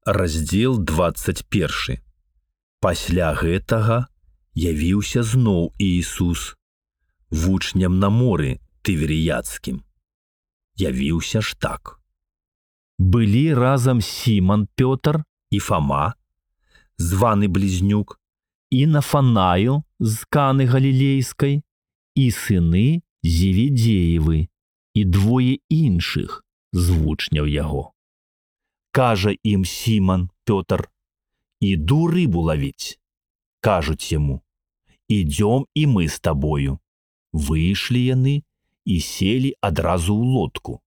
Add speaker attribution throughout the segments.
Speaker 1: Раздзел 21. Пасля гэтага явіўся зноў Іісус вучням на моры Тыверіядскім. Явіўся ж так. Былі разам Сіман Пётр і Фама, званы Близнюк, і Нафанаіл з Каны Галілейскай, і сыны Зеведеевы, і двое іншых з вучняў яго. Кажа ім Сіман Пётр: «Іду рыбу ловіць». Кажуць яму: «Ідём і мы з табою». Выйшлі яны і селі адразу ў лодку.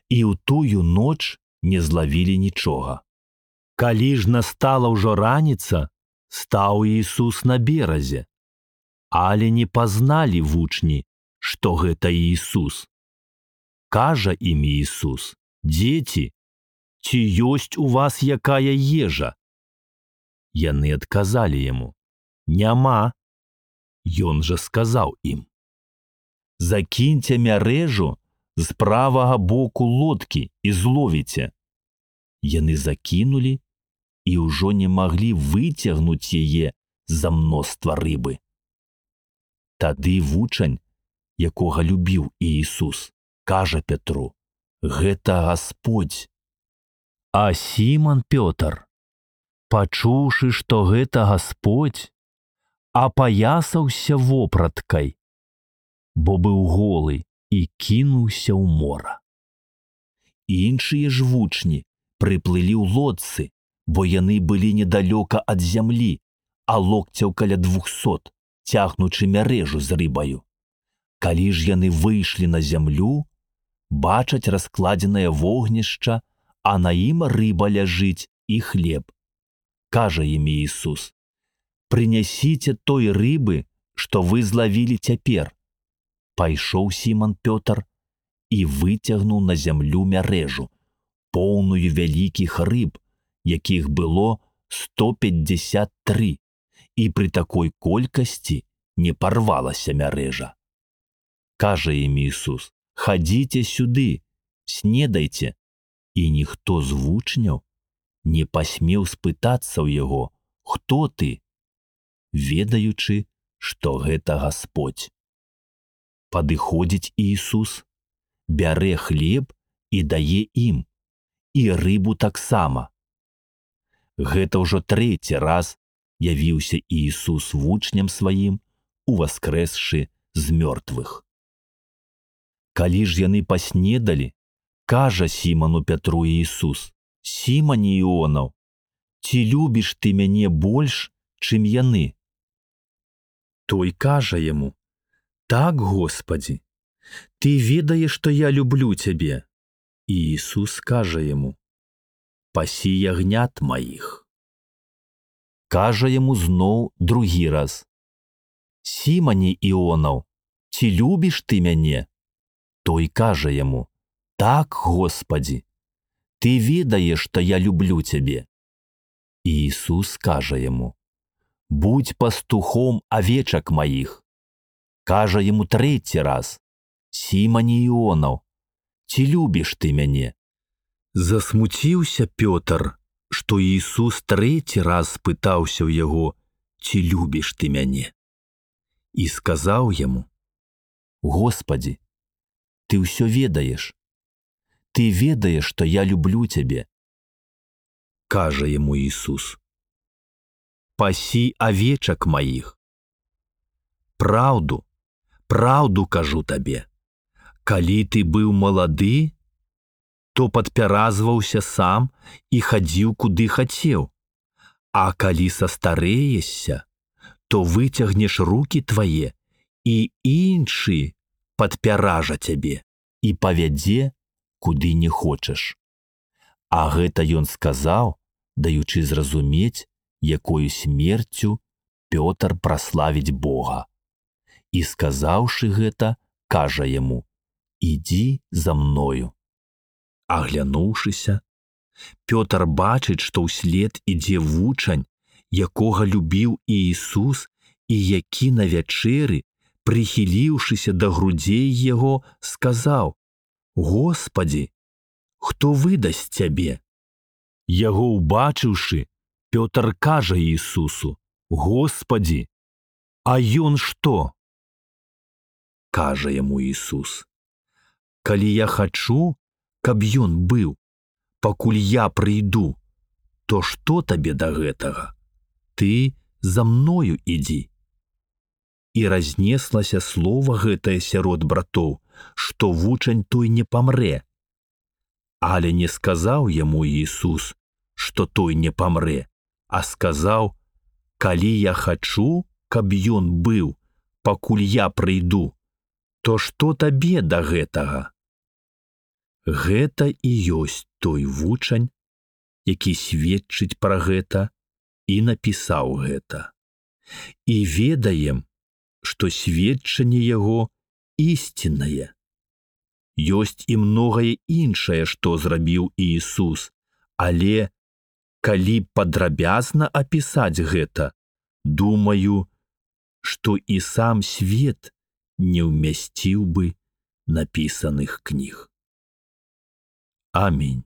Speaker 1: І ў тую ноч не злавілі нічога. Калі ж настала ўжо раніца, стаў Іісус на беразе. Але не пазналі вучні, што гэта Іісус. Кажа ім Іісус: «Дзеці, ці ёсць у вас якая ежа?» Яны адказалі яму: «Няма». Ён жа сказаў ім: «Закіньце мярэжу з правага боку лодкі і зловіце». Яны закінулі і ўжо не маглі выцягнуць яе з-за мноства рыбы. Тады вучань, якога любіў Іісус, кажа Петру: «Гэта Гасподзь». А Сіман Пётр, пачуўшы, што гэта Гасподзь, апаясаўся вопраткай, бо быў голы, і кінуўся ў мора. Іншыя ж вучні прыплылі ў лодцы, бо яны былі недалёка ад зямлі, а локцяў каля 200, цягнучы мярэжу з рыбаю. Калі ж яны выйшлі на зямлю, бачаць раскладзенае вогнішча, а на ім рыба ляжыць і хлеб. Кажа ім Іісус: «Прынясіце той рыбы, што вы злавілі цяпер». Пайшоў Сіман Пётр і выцягнуў на зямлю мярэжу, поўную вялікіх рыб, якіх было 153, і пры такой колькасці не парвалася мярэжа. Кажа ім Іісус: «Хадзіце сюды, снедайце». І ніхто з вучняў не пасмеў спытацца ў яго: «Хто ты?», ведаючы, што гэта Гасподзь. Падыходзіць Іісус, бярэ хлеб і дае ім, і рыбу таксама. Гэта ўжо 3-й раз явіўся Іісус вучням сваім, уваскрэсшы з мёртвых. Калі ж яны паснедалі, кажа Сіману Пятру Іісус: «Сімане Іонаў, ці любіш ты мяне больш, чым яны?» Той кажа яму: «Так, Господі, ты ведаеш, што я люблю цябе». І Ісус кажа яму: «Пасі ягнят маіх». Кажа яму зноў другі раз: «Сімане Іонаў, ці любіш ты мяне?» Той кажа яму: «Так, Господі, ты ведаеш, што я люблю цябе». І Ісус кажа яму: «Будзь пастухом авечак маіх». Кажа яму 3-й раз: «Сімане Іонаў, ці любіш ты мяне?» Засмуціўся Пётр, што Іісус 3-й раз спытаўся ў яго: «Ці любіш ты мяне?» І сказаў яму: «Господі, ты ўсё ведаеш. Ты ведаеш, што я люблю цябе». Кажа яму Іісус: «Пасі авечак маіх. Праўду, праўду кажу табе, калі ты быў малады, то падпяразваўся сам і хадзіў куды хацеў, а калі састарэешся, то выцягнеш рукі твае, і іншы падпяража цябе і павядзе, куды не хочаш». А гэта ён сказаў, даючы зразумець, якою смерцю Пётр праславіць Бога. І сказаўшы гэта, кажа яму: «Ідзі за мною». Аглянуўшыся, Пётр бачыць, што ўслед ідзе вучань, якога любіў Іісус, і які на вячэры, прыхіліўшыся да грудзей яго, сказаў: «Господі, хто выдасць цябе?» Яго ўбачыўшы, Пётр кажа Ісусу: «Господі, а ён што?» Кажа яму Ісус: «Калі я хачу, каб ён быў, пакуль я прыйду, то што табе да гэтага? Ты за мною ідзі». І разнеслася слова гэтае сярод братоў, што вучань той не памрэ. Але не сказаў яму Ісус, што той не памрэ, а сказаў: «Калі я хачу, каб ён быў, пакуль я прыйду, то што табе да гэтага?» Гэта і ёсць той вучань, які сведчыць пра гэта і напісаў гэта. І ведаем, што сведчанне яго ісціннае. Ёсць і многае іншае, што зрабіў Ісус, але калі падрабязна апісаць гэта, думаю, што і сам свет не ўмясціў бы напісаных кніг. Амінь.